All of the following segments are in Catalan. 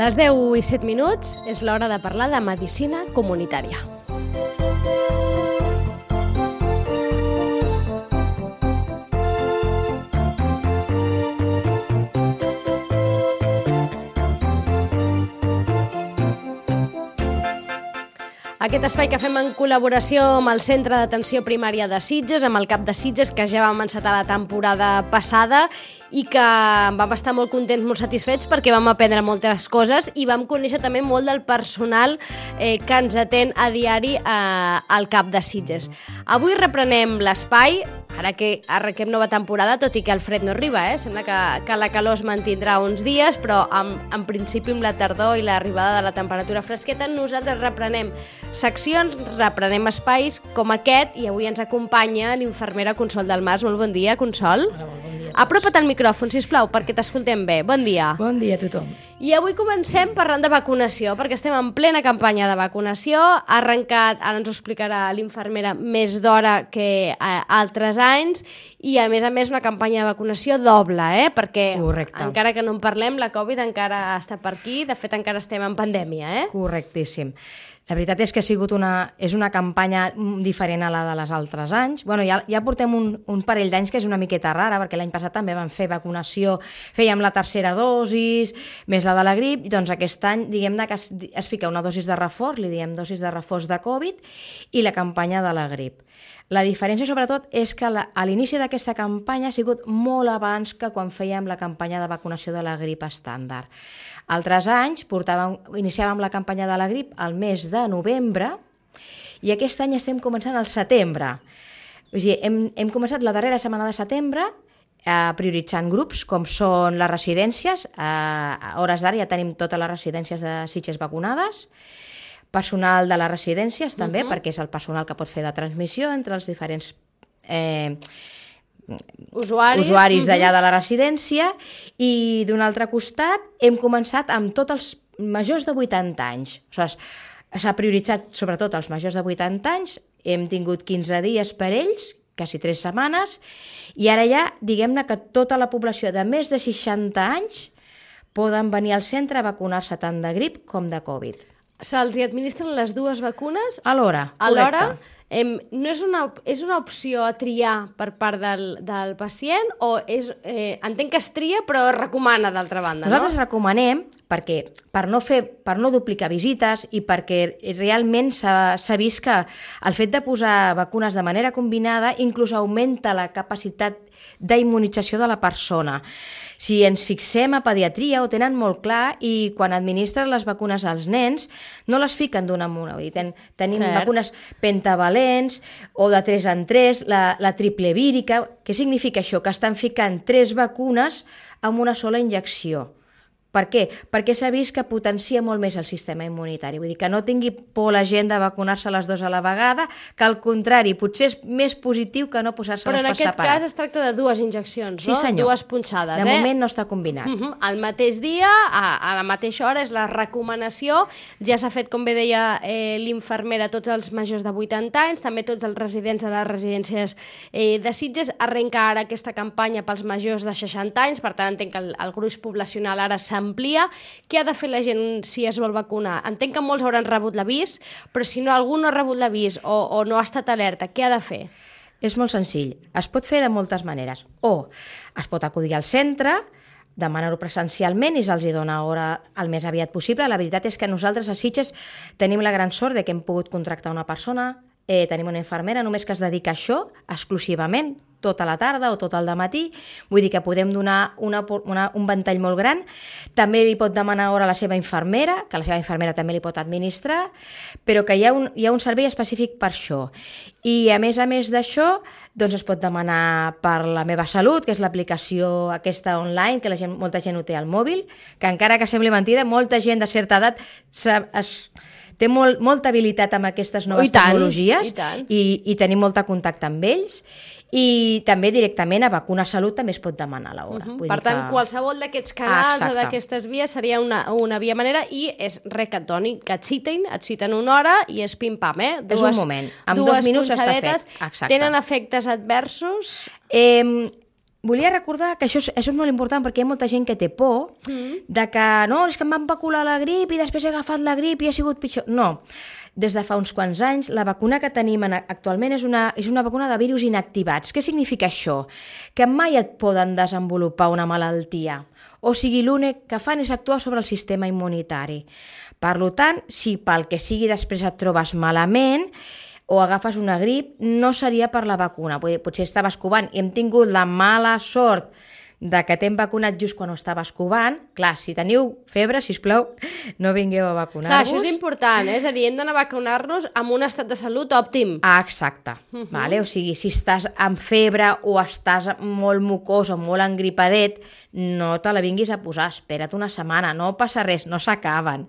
Les 10:07 és l'hora de parlar de medicina comunitària. Aquest espai que fem en col·laboració amb el Centre d'Atenció Primària de Sitges, amb el CAP de Sitges, que ja vam encetar la temporada passada i que vam estar molt contents, molt satisfets perquè vam aprendre moltes coses i vam conèixer també molt del personal que ens atén a diari al CAP de Sitges. Avui reprenem l'espai, ara que arrenquem nova temporada, tot i que el fred no arriba, sembla que la calor es mantindrà uns dies, però en principi amb la tardor i l'arribada de la temperatura fresqueta nosaltres reprenem seccions, reprenem espais com aquest i avui ens acompanya l'infermera Consol Dalmàs. Molt bon dia, Consol. Hola, bon dia. Apropa't al micròfon, sisplau, perquè t'escoltem bé. Bon dia. Bon dia a tothom. I avui comencem parlant de vacunació, perquè estem en plena campanya de vacunació. Ha arrencat, ara ens ho explicarà l'infermera, més d'hora que altres anys i, a més, una campanya de vacunació doble, perquè Correcte. Encara que no en parlem, la Covid encara està per aquí. De fet, encara estem en pandèmia, Correctíssim. La veritat és que és una campanya diferent a la de les altres anys. Bueno, ja portem un parell d'anys que és una miqueta rara, perquè l'any passat també vam fer vacunació, fèiem la tercera dosis, més la de la grip, i doncs aquest any, diguem-ne que es fica una dosis de reforç, li diem dosis de reforç de Covid, i la campanya de la grip. La diferència, sobretot, és que a l'inici d'aquesta campanya ha sigut molt abans que quan fèiem la campanya de vacunació de la grip estàndard. Altres anys iniciàvem la campanya de la grip al mes de novembre i aquest any estem començant al setembre. O sigui, hem començat la darrera setmana de setembre prioritzant grups com són les residències. A hores d'ara ja tenim totes les residències de Sitges vacunades, personal de les residències també, perquè és el personal que pot fer de transmissió entre els diferents usuaris d'allà de la residència, i d'un altre costat hem començat amb tots els majors de 80 anys. O sigui, s'ha prioritzat sobretot els majors de 80 anys, hem tingut 15 dies per ells, quasi 3 setmanes, i ara ja, diguem-ne que tota la població de més de 60 anys poden venir al centre a vacunar-se tant de grip com de Covid. Se'ls administren les dues vacunes? Alhora, correcte. No és una opció a triar per part del pacient o entenc que es tria però es recomana d'altra banda, Nosaltres recomanem perquè per no duplicar visites i perquè realment s'ha vist que el fet de posar vacunes de manera combinada inclús augmenta la capacitat d'immunització de la persona. Si ens fixem a pediatria ho tenen molt clar i quan administren les vacunes als nens no les fiquen d'una en una. Tenim vacunes pentavalents o de 3 en 3, la triple vírica. Què significa això? Que estan ficant 3 vacunes amb una sola injecció. Per què? Perquè s'ha vist que potencia molt més el sistema immunitari. Vull dir que no tingui por la gent de vacunar-se les dues a la vegada, que al contrari, potser és més positiu que no posar-se-les per separat. Però en aquest cas es tracta de 2 injeccions, no? Sí, senyor. 2 punxades, De moment no està combinat. Al mateix dia, a la mateixa hora, és la recomanació. Ja s'ha fet, com bé deia l'infermera, tots els majors de 80 anys, també tots els residents de les residències de Sitges. Arrenca ara aquesta campanya pels majors de 60 anys, per tant entenc que el gruix poblacional ara s'amplia. Què ha de fer la gent si es vol vacunar? Entenc que molts hauran rebut l'avís, però si algú no ha rebut l'avís o no ha estat alerta, què ha de fer? És molt senzill. Es pot fer de moltes maneres. O es pot acudir al centre, demanar-ho presencialment i se'ls dona hora el més aviat possible. La veritat és que nosaltres a Sitges tenim la gran sort de que hem pogut contractar una persona, tenim una infermera només que es dedica a això exclusivament, tota la tarda o tot el dematí, vull dir que podem donar un ventall molt gran. També li pot demanar hora a la seva infermera, que la seva infermera també li pot administrar, però que hi ha un servei específic per això. I a més d'això, doncs es pot demanar per la Meva Salut, que és l'aplicació aquesta online, que molta gent ho té al mòbil, que encara que sembli mentida, molta gent de certa edat té molta habilitat amb aquestes noves tecnologies i tenim molt contacte amb ells. I també directament a Vacuna Salut també es pot demanar l'hora. Per tant, qualsevol d'aquests canals o d'aquestes vies seria una via manera i és res que et doni, que et citen una hora i és pim-pam, És un moment, amb 2 minuts està fet. Tenen efectes adversos? volia recordar que això és molt important perquè hi ha molta gent que té por de que no, és que em van vacunar la grip i després he agafat la grip i ha sigut pitjor. No, des de fa uns quants anys la vacuna que tenim actualment és una vacuna de virus inactivats. Què significa això? Que mai et poden desenvolupar una malaltia. O sigui, l'únic que fan és actuar sobre el sistema immunitari. Per tant, si pel que sigui després et trobes malament o agafes una grip, no seria per la vacuna. Potser estaves covant i hem tingut la mala sort de que t'hem vacunat just quan ho estaves covant. Clar, si teniu febre, sisplau, no vingueu a vacunar-vos. Clar, això és important, és a dir, hem d'anar a vacunar-nos amb un estat de salut òptim. Exacte. Vale? O sigui, si estàs amb febre o estàs molt mucós o molt engripadet, no te la vinguis a posar, espera't una setmana, no passa res, no s'acaben.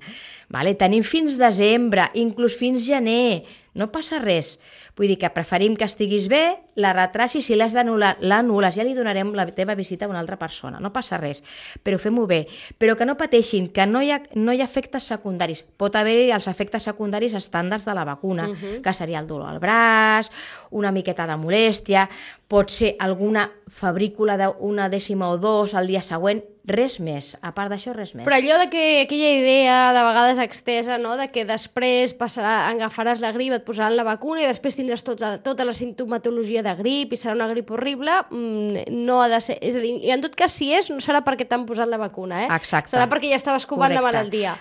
Vale? Tenim fins desembre, inclús fins gener, no passa res. Vull dir que preferim que estiguis bé, la retracis, si l'has d'anul·lar, l'anul·les, ja li donarem la teva visita a una altra persona, no passa res, però fem-ho bé. Però que no pateixin, que no hi ha efectes secundaris. Pot haver-hi els efectes secundaris estàndards de la vacuna, que seria el dolor al braç, una miqueta de molèstia, pot ser alguna febrícula d'una dècima o dos al dia següent, res més, a part d'això res més. Però allò de que aquella idea de vegades extesa, no? De que després agafaràs la grip, et posaran la vacuna i després tindràs tota la simptomatologia de grip i serà una grip horrible, no ha de ser. És a dir, i en tot cas, si és, no serà perquè t'han posat la vacuna, Exacte. Serà perquè ja estaves covant la malaltia.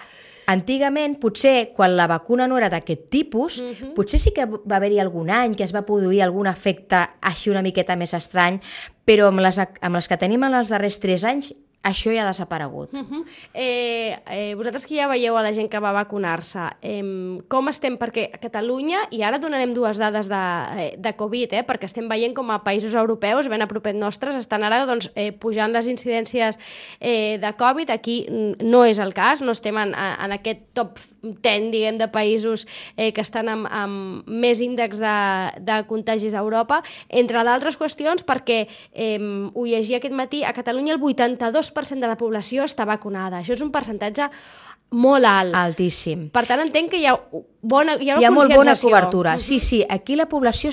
Antigament, potser, quan la vacuna no era d'aquest tipus, potser sí que va haver-hi algun any que es va produir algun efecte així una miqueta més estrany, però amb les que tenim en els darrers 3 anys, això ja ha desaparegut. Vosaltres que ja veieu a la gent que va vacunar-se, com estem? Perquè a Catalunya, i ara donarem 2 dades de Covid, perquè estem veient com a països europeus, ben a propet nostres, estan ara pujant les incidències de Covid. Aquí no és el cas, no estem en aquest top 10, diguem, de països que estan amb més índex de contagis a Europa, entre d'altres qüestions, perquè ho llegia aquest matí, a Catalunya el 82% de la població està vacunada. Això és un percentatge molt alt. Altíssim. Per tant, entenc que hi ha una molt bona cobertura. Sí, aquí la població,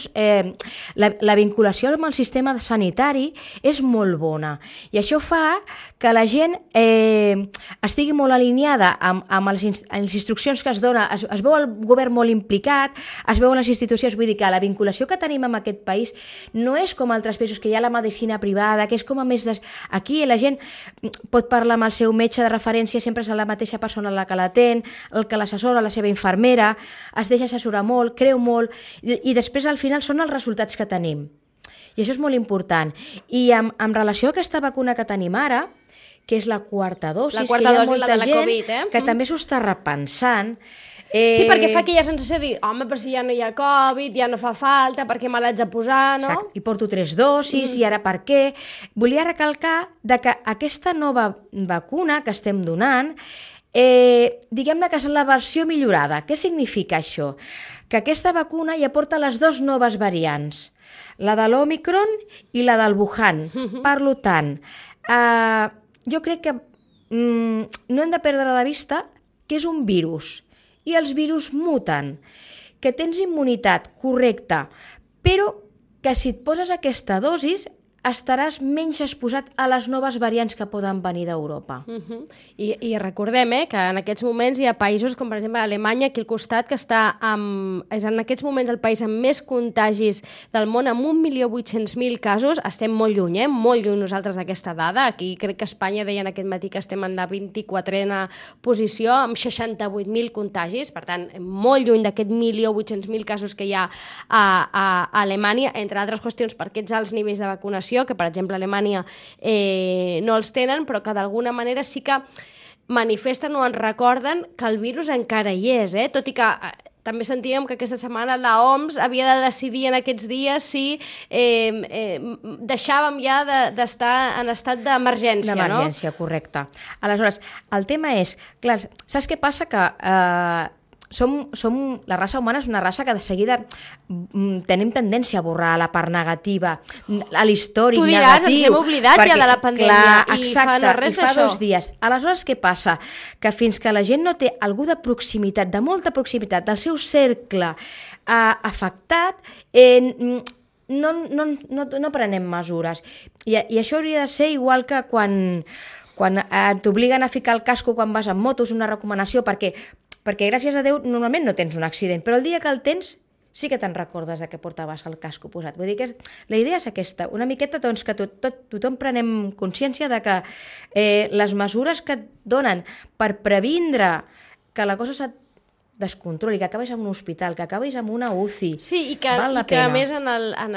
la vinculació amb el sistema sanitari és molt bona. I això fa que la gent estigui molt alineada amb les instruccions que es dona. Es veu el govern molt implicat, es veuen les institucions. Vull dir que la vinculació que tenim amb aquest país no és com altres països, que hi ha la medicina privada, que és com a més... Aquí la gent pot parlar amb el seu metge de referència, sempre és la mateixa persona la que l'atén, el que l'assessora, la seva infermera, es deixa assessorar molt, creu molt, i després al final són els resultats que tenim. I això és molt important. I en relació a aquesta vacuna que tenim ara, que és la quarta dosi, la quarta dosi, la de la Covid, que també s'ho està repensant. Sí, perquè fa aquella sensació de dir, home, però si ja no hi ha Covid, ja no fa falta, per què me l'haig de posar, no? Exacte. I porto 3 dosis, i ara per què? Volia recalcar que aquesta nova vacuna que estem donant, diguem-ne que és la versió millorada. Què significa això? Que aquesta vacuna ja porta les 2 noves variants, la de l'Omicron i la del Wuhan. Per tant, jo crec que no hem de perdre de vista que és un virus i els virus muten, que tens immunitat correcta, però que si et poses aquesta dosis estaràs menys exposat a les noves variants que poden venir d'Europa. I recordem que en aquests moments hi ha països com per exemple Alemanya, aquí al costat, que és en aquests moments el país amb més contagis del món, amb 1.800.000 casos. Estem molt lluny, molt lluny nosaltres d'aquesta dada. Aquí crec que Espanya deien aquest matí que estem en la 24a posició, amb 68.000 contagis, per tant, molt lluny d'aquest 1.800.000 casos que hi ha a Alemanya, entre altres qüestions per aquests alts nivells de vacunació, que per exemple a Alemanya no els tenen, però que d'alguna manera sí que manifesten o ens recorden que el virus encara hi és, tot i que també sentíem que aquesta setmana la OMS havia de decidir en aquests dies si deixàvem ja d'estar en estat d'emergència, no? D'emergència, correcte. Aleshores, el tema és, clar, saps què passa? Que la raça humana és una raça que de seguida tenim tendència a borrar la part negativa, a l'històric negatiu. Tu diràs, ens hem oblidat ja de la pandèmia, i fa no res d'això. I fa 2 dies. Aleshores, què passa? Que fins que la gent no té algú de proximitat, de molta proximitat, del seu cercle afectat, no prenem mesures. I això hauria de ser igual que quan t'obliguen a ficar el casco quan vas amb moto, és una recomanació, perquè gràcies a Déu normalment no tens un accident, però el dia que el tens sí que te'n recordes que portaves el casco posat. Vull dir que la idea és aquesta, una miqueta doncs, que tothom prenem consciència de que les mesures que et donen per previndre que la cosa se't descontroli, que acabis en un hospital, que acabis en una UCI, sí, i que a més en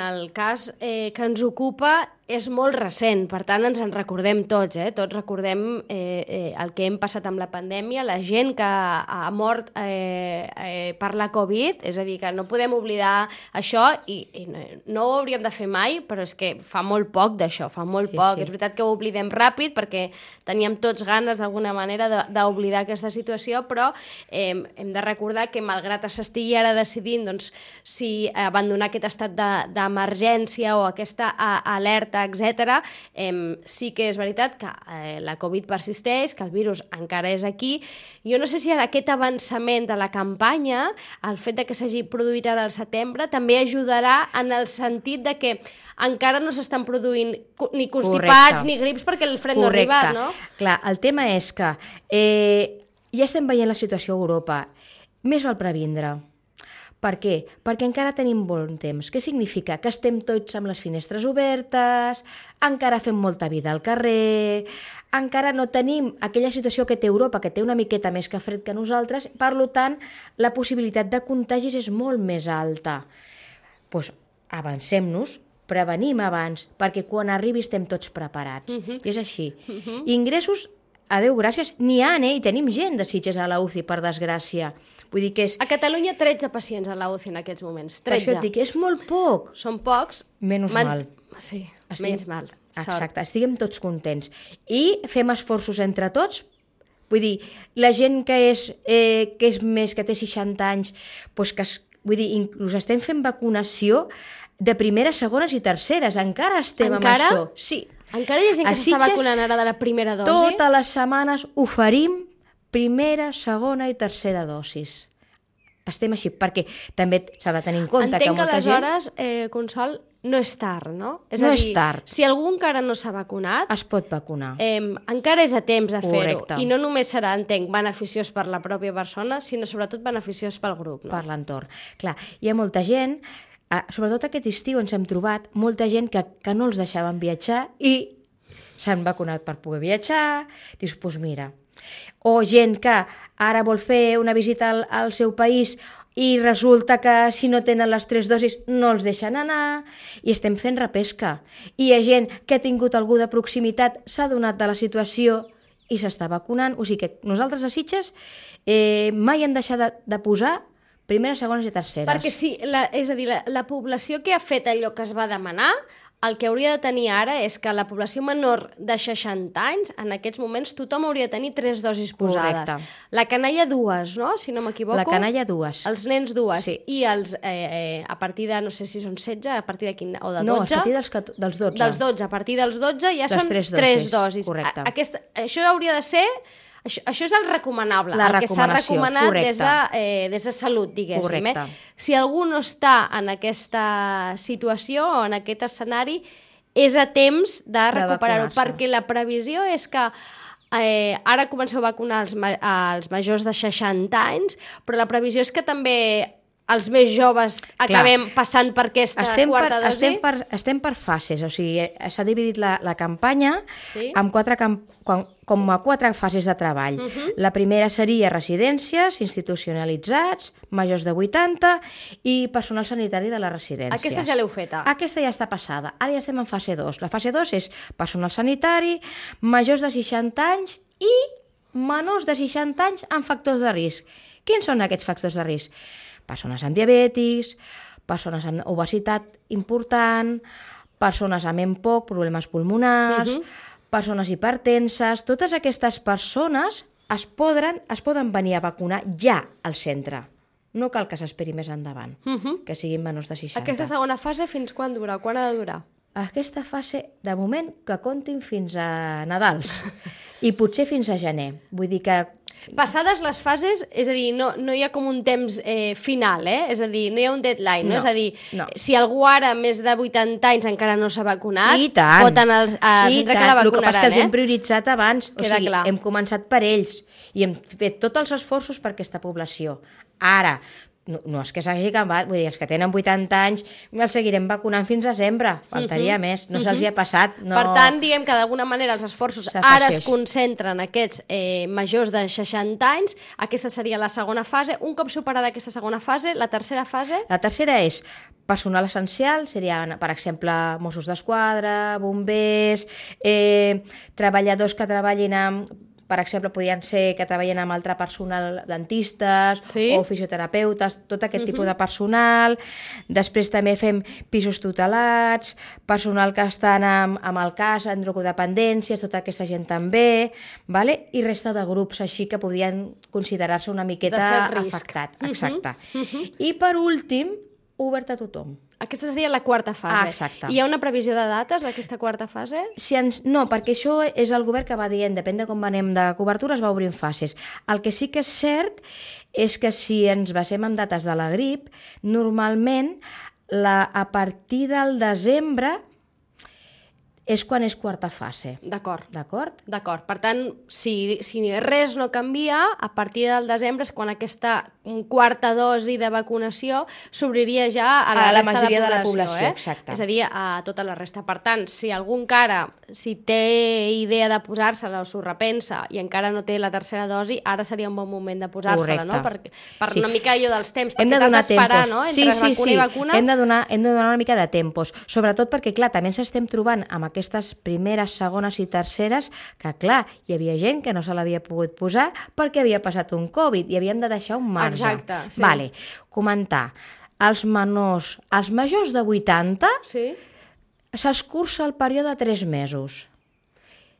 el cas que ens ocupa és molt recent, per tant ens en recordem tots, tots recordem el que hem passat amb la pandèmia, la gent que ha mort per la Covid, és a dir, que no podem oblidar això i no ho hauríem de fer mai, però és que fa molt poc d'això, fa molt poc. És veritat que ho oblidem ràpid perquè teníem tots ganes d'alguna manera d'oblidar aquesta situació, però hem de recordar que malgrat s'estigui ara decidint doncs, si abandonar aquest estat d'emergència o aquesta alerta, etc. Sí que és veritat que la Covid persisteix, que el virus encara és aquí. Jo no sé si aquest avançament de la campanya, el fet de que s'hagi produït ara al setembre, també ajudarà en el sentit de que encara no s'estan produint ni constipats ni grips perquè el fred no ha arribat, no? Clar, el tema és que ja estem veient la situació a Europa. Més val previndre. Per què? Perquè encara tenim bon temps. Què significa? Que estem tots amb les finestres obertes, encara fem molta vida al carrer, encara no tenim aquella situació que té Europa, que té una miqueta més que fred que nosaltres, per tant, la possibilitat de contagis és molt més alta. Doncs avancem-nos, prevenim abans, perquè quan arribi estem tots preparats. I és així. Ingressos, a Déu gràcies, n'hi ha, i tenim gent de Sitges a la UCI, per desgràcia. Vull dir que és... A Catalunya 13 pacients a la UCI en aquests moments, 13. Per això et dic, és molt poc. Són pocs. Menys mal. Sí, menys mal. Exacte, estiguem tots contents. I fem esforços entre tots. Vull dir, la gent que és més, que té 60 anys, doncs vull dir, inclús estem fent vacunació de primeres, segones i terceres. Encara estem amb això. Sí. Encara hi ha gent que s'està vacunant ara de la primera dosi? Totes les setmanes oferim primera, segona i tercera dosis. Estem així, perquè també s'ha de tenir en compte que molta gent... Entenc que aleshores, Consol, no és tard, no? No és tard. Si algú encara no s'ha vacunat... Es pot vacunar. Encara és a temps de fer-ho. I no només serà, entenc, beneficiós per la pròpia persona, sinó sobretot beneficiós pel grup. No? Per l'entorn. Clar, hi ha molta gent... Sobretot aquest estiu ens hem trobat molta gent que no els deixaven viatjar i s'han vacunat per poder viatjar. Dius, doncs mira. O gent que ara vol fer una visita al seu país i resulta que si no tenen les 3 dosis no els deixen anar i estem fent repesca. I hi ha gent que ha tingut algú de proximitat, s'ha donat de la situació i s'està vacunant. O sigui que nosaltres a Sitges mai hem deixat de posar primeres, segones i terceres. Perquè sí, és a dir, la població que ha fet allò que es va demanar, el que hauria de tenir ara és que la població menor de 60 anys, en aquests moments, tothom hauria de tenir 3 dosis posades. Correcte. La canalla 2, no? Si no m'equivoco. La canalla 2. Els nens 2. Sí. I els, a partir de, no sé si són 16, a partir de quin, o de 12? No, a partir dels 12. Dels 12. A partir dels 12 ja són 3 dosis. Correcte. Això hauria de ser... Això és el recomanable, el que s'ha recomanat des de salut, diguéssim. Correcte. Si algú no està en aquesta situació o en aquest escenari, és a temps de recuperar-ho, perquè la previsió és que ara comenceu a vacunar els majors de 60 anys, però la previsió és que també els més joves acabem passant per aquesta quarta dosi? Estem per fases, o sigui, s'ha dividit la campanya amb 4 fases de treball. La primera seria residències, institucionalitzats, majors de 80 i personal sanitari de les residències. Aquesta ja l'heu feta? Aquesta ja està passada. Ara ja estem en fase 2. La fase 2 és personal sanitari, majors de 60 anys i menors de 60 anys amb factors de risc. Quins són aquests factors de risc? Persones amb diabetis, persones amb obesitat important, persones amb EMPOC, problemes pulmonars, persones hipertenses. Totes aquestes persones es poden venir a vacunar ja al centre. No cal que s'esperi més endavant, que siguin menors de 60. Aquesta segona fase fins quan dura? Quan ha de durar? Aquesta fase, de moment, que comptin fins a Nadals. I potser fins a gener. Vull dir que... Passades les fases, és a dir, no hi ha com un temps final, és a dir, no hi ha un deadline, no? És a dir, si algú ara més de 80 anys encara no s'ha vacunat, pot anar al centre que la vacunaran, El que passa és que els hem prioritzat abans, o sigui, clar. Hem començat per ells i hem fet tots els esforços per aquesta població. Ara, no és que s'hagi acabat, vull dir, els que tenen 80 anys els seguirem vacunant fins a desembre, faltaria més, no se'ls hi ha passat. No... Per tant, diguem que d'alguna manera els esforços ara es concentren en aquests majors de 60 anys, aquesta seria la segona fase. Un cop superada aquesta segona fase, la tercera fase? La tercera és personal essencial, serien, per exemple, Mossos d'Esquadra, bombers, treballadors que treballin amb... Per exemple, podien ser que treballen amb altre personal, dentistes o fisioterapeutes, tot aquest tipus de personal. Després també fem pisos tutelats, personal que estan amb el cas, en drogodependències, tota aquesta gent també, vale? I resta de grups així que podien considerar-se una miqueta afectat. Exacte. I per últim, obert a tothom. Aquesta seria la quarta fase. Exacte. Hi ha una previsió de dates d'aquesta quarta fase? No, perquè això és el govern que va dient, depèn de com anem de cobertura, es va obrint fases. El que sí que és cert és que si ens basem en dates de la grip, normalment a partir del desembre és quan és quarta fase. D'acord. D'acord? D'acord. Per tant, si res no canvia, a partir del desembre és quan aquesta quarta dosi de vacunació s'obriria ja a la majoria de la població. Exacte. És a dir, a tota la resta. Per tant, si algú encara, si té idea de posar-se-la o s'ho repensa i encara no té la tercera dosi, ara seria un bon moment de posar-se-la, no? Per una mica allò dels temps, perquè t'has d'esperar, no? Entre vacuna i vacuna. Hem de donar una mica de tempos, sobretot perquè, clar, també ens estem trobant amb aquestes primeres, segones i terceres, que clar, hi havia gent que no se l'havia pogut posar perquè havia passat un Covid i havíem de deixar un marge. Exacte, sí. Vale, comentar. Els majors de 80 s'escurça el període de 3 mesos.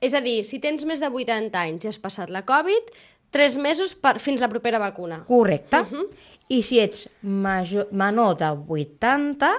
És a dir, si tens més de 80 anys i has passat la Covid, 3 mesos fins la propera vacuna. Correcte. I si ets menor de 80,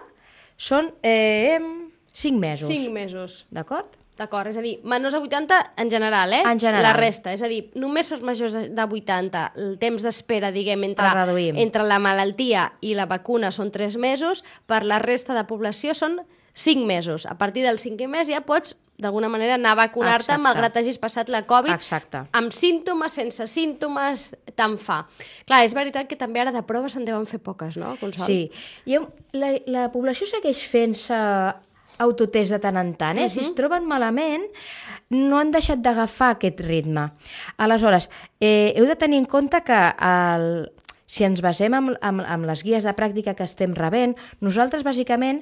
són 5 mesos. 5 mesos. D'acord? D'acord, és a dir, menors de 80 en general, En general. La resta, és a dir, només els majors de 80, el temps d'espera, diguem, entre la malaltia i la vacuna són 3 mesos, per la resta de població són 5 mesos. A partir del 5è mes ja pots, d'alguna manera, anar a vacunar-te malgrat hagis passat la Covid. Exacte. Amb símptomes, sense símptomes, tant fa. Clar, és veritat que també ara de proves se'n deuen fer poques, no, Consol? Sí. I la població segueix fent-se autotest de tant en tant, Si es troben malament, no han deixat d'agafar aquest ritme. Aleshores, heu de tenir en compte que si ens basem en les guies de pràctica que estem rebent, nosaltres, bàsicament,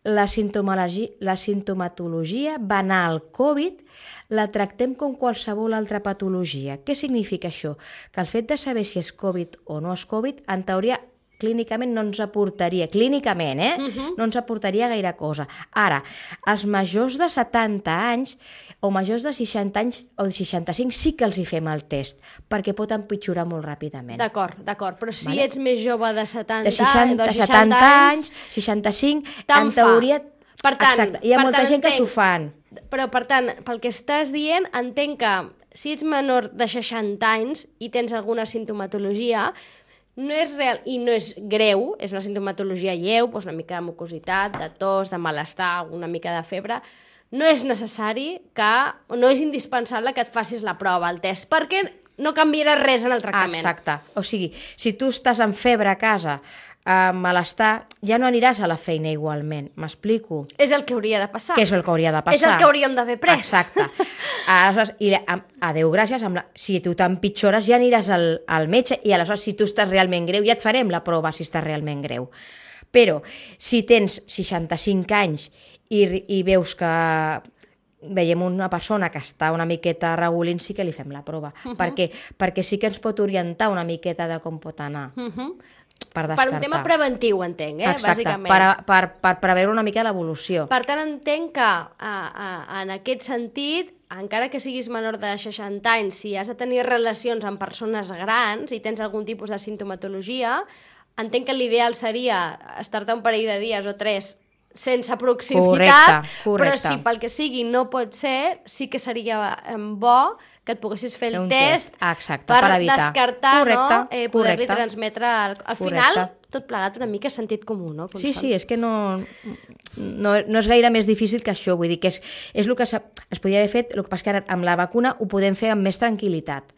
la simptomatologia banal Covid la tractem com qualsevol altra patologia. Què significa això? Que el fet de saber si és Covid o no és Covid, en teoria, clínicament no ens aportaria, no ens aportaria gaire cosa. Ara, els majors de 70 anys o majors de 60 anys o de 65 sí que els hi fem el test, perquè pot empitjorar molt ràpidament. D'acord, però si ets més jove de 70 anys, 65, en teoria... Exacte, hi ha molta gent que s'ho fan. Però, per tant, pel que estàs dient, entenc que si ets menor de 60 anys i tens alguna simptomatologia, no és real i no és greu, és una simptomatologia lleu, doncs una mica de mucositat, de tos, de malestar, una mica de febre, no és necessari no és indispensable que et facis la prova, el test, perquè no canviarà res en el tractament. Exacte. O sigui, si tu estàs amb febre a casa, amb malestar, ja no aniràs a la feina igualment. M'explico? És el que hauria de passar. Que és el que hauria de passar. És el que hauríem d'haver pres. Exacte. Aleshores, a Déu gràcies, si tu t'empitjores ja aniràs al metge i aleshores si tu estàs realment greu ja et farem la prova si estàs realment greu. Però si tens 65 anys i veus que veiem una persona que està una miqueta regulint, sí que li fem la prova. Perquè sí que ens pot orientar una miqueta de com pot anar. Per descartar. Per un tema preventiu, entenc, Exacte, bàsicament. Per preveure una mica l'evolució. Per tant, entenc que en aquest sentit, encara que siguis menor de 60 anys, si has de tenir relacions amb persones grans i tens algun tipus de simptomatologia, entenc que l'ideal seria estar-te un parell de dies o 3 sense proximitat, correcte. Però si pel que sigui no pot ser, sí que seria bo que et poguessis fer el un test exacte, per evitar. descartar, Correcte, no? Poder-li correcte. transmetre... Al final, tot plegat una mica sentit comú, no? Sí, sí, és que no és gaire més difícil que això, vull dir que és el que es podria haver fet, el que passa que ara amb la vacuna ho podem fer amb més tranquil·litat,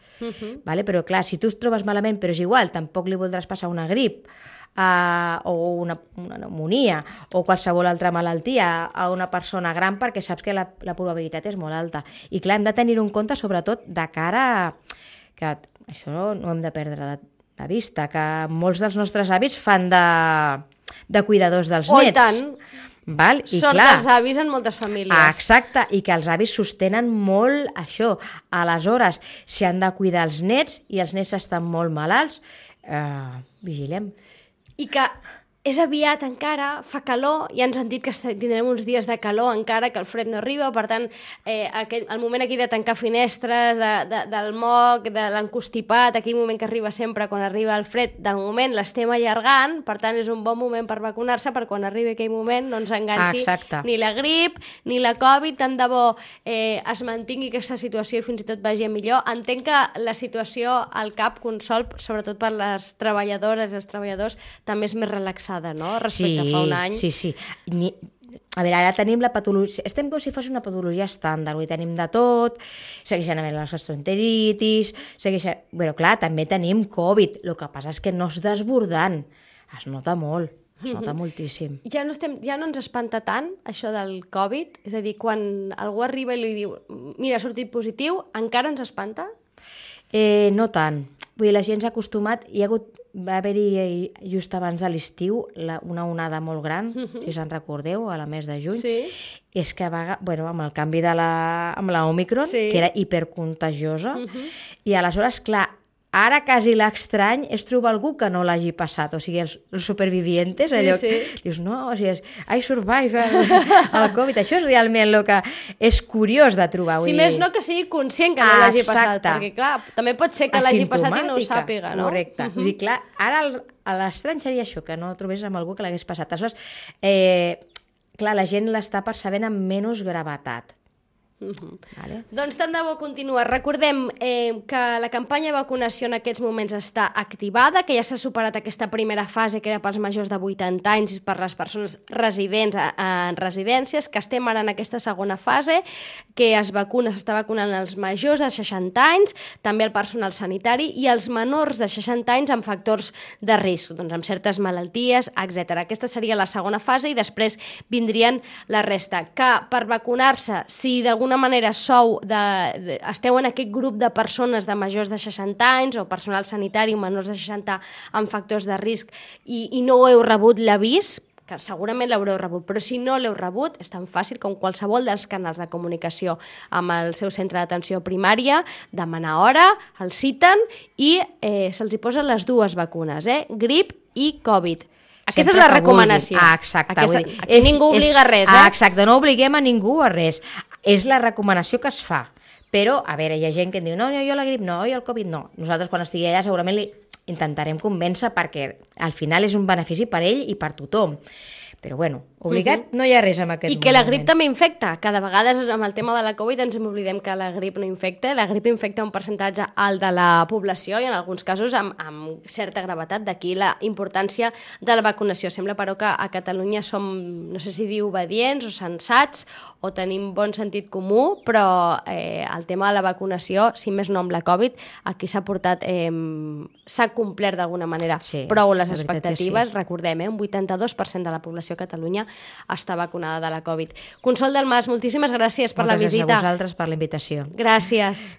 vale? Però clar, si tu es trobes malament, però és igual, tampoc li voldràs passar una grip, o una pneumònia o qualsevol altra malaltia a una persona gran perquè saps que la probabilitat és molt alta. I clar, hem de tenir-ho en compte sobretot de cara que això no hem de perdre de vista, que molts dels nostres avis fan de cuidadors dels nets. I tant! Val? I Sort clar, dels avis en moltes famílies. Exacte, i que els avis sostenen molt això. Aleshores, si han de cuidar els nets i els nets estan molt malalts, vigilem. I que és aviat encara, fa calor, ja ens han dit que tindrem uns dies de calor encara, que el fred no arriba, per tant, el moment aquí de tancar finestres, del moc, de l'encostipat, aquell moment que arriba sempre quan arriba el fred, de moment l'estem allargant, per tant és un bon moment per vacunar-se, per quan arribi aquell moment no ens enganxi ni la grip ni la Covid, tant de bo es mantingui aquesta situació i fins i tot vagi a millor. Entenc que la situació al CAP Consol, sobretot per les treballadores i els treballadors, també és més relaxada, no? Respecte a fa un any. Sí. A veure, ara tenim la patologia... Estem com si fos una patologia estàndard, tenim de tot, segueixen havent les gastroenteritis, Però clar, també tenim Covid, el que passa és que no és desbordant, es nota molt. Es nota moltíssim. Ja no ens espanta tant, això del Covid? És a dir, quan algú arriba i li diu mira, ha sortit positiu, encara ens espanta? No tant. Vull dir, la gent s'ha acostumat, va haver-hi just abans de l'estiu una onada molt gran, si se'n recordeu, a la mes de juny, és que amb el canvi amb l'Omicron, que era hipercontagiosa, i aleshores, clar, ara quasi l'estrany és trobar algú que no l'hagi passat, o sigui, els supervivientes, allò que dius, no, o sigui, I survive el Covid, això és realment el que és curiós de trobar. Si més no que sigui conscient que no l'hagi passat, perquè clar, també pot ser que l'hagi passat i no ho sàpiga, no? Correcte, vull dir, clar, ara l'estrany seria això, que no trobés amb algú que l'hagués passat. Aleshores, clar, la gent l'està percebent amb menys gravetat. Vale. Doncs tant de bo continua. Recordem que la campanya de vacunació en aquests moments està activada, que ja s'ha superat aquesta primera fase que era pels majors de 80 anys i per les persones residents en residències, que estem ara en aquesta segona fase, que s'està vacunant els majors de 60 anys, també el personal sanitari i els menors de 60 anys amb factors de risc, doncs amb certes malalties, etc. Aquesta seria la segona fase i després vindrien la resta. Que per vacunar-se, si d'alguna manera esteu en aquest grup de persones de majors de 60 anys o personal sanitari o menors de 60 amb factors de risc i no heu rebut l'avís, que segurament l'haureu rebut, però si no l'heu rebut és tan fàcil com qualsevol dels canals de comunicació amb el seu centre d'atenció primària, demanar hora, el citen i se'ls hi posen les dues vacunes, grip i Covid. Aquesta és la recomanació. Exacte. Aquí ningú obliga a res, Exacte, no obliguem a ningú a res. És la recomanació que es fa. Però, a veure, hi ha gent que em diu no, jo la grip no, jo el Covid no. Nosaltres quan estigui allà segurament li intentarem convèncer perquè al final és un benefici per ell i per tothom. Però bueno, obligat no hi ha res en aquest moment. I que la grip també infecta, que de vegades amb el tema de la Covid ens oblidem que la grip no infecta, la grip infecta un percentatge alt de la població i en alguns casos amb certa gravetat, d'aquí la importància de la vacunació. Sembla però que a Catalunya som, no sé si dir obedients o sensats o tenim bon sentit comú, però el tema de la vacunació, si més no amb la Covid, aquí s'ha portat, s'ha complert d'alguna manera prou les expectatives, recordem, un 82% de la població a Catalunya està vacunada de la Covid. Consol Dalmas, moltíssimes gràcies per la visita. Moltes gràcies a vosaltres per la invitació. Gràcies.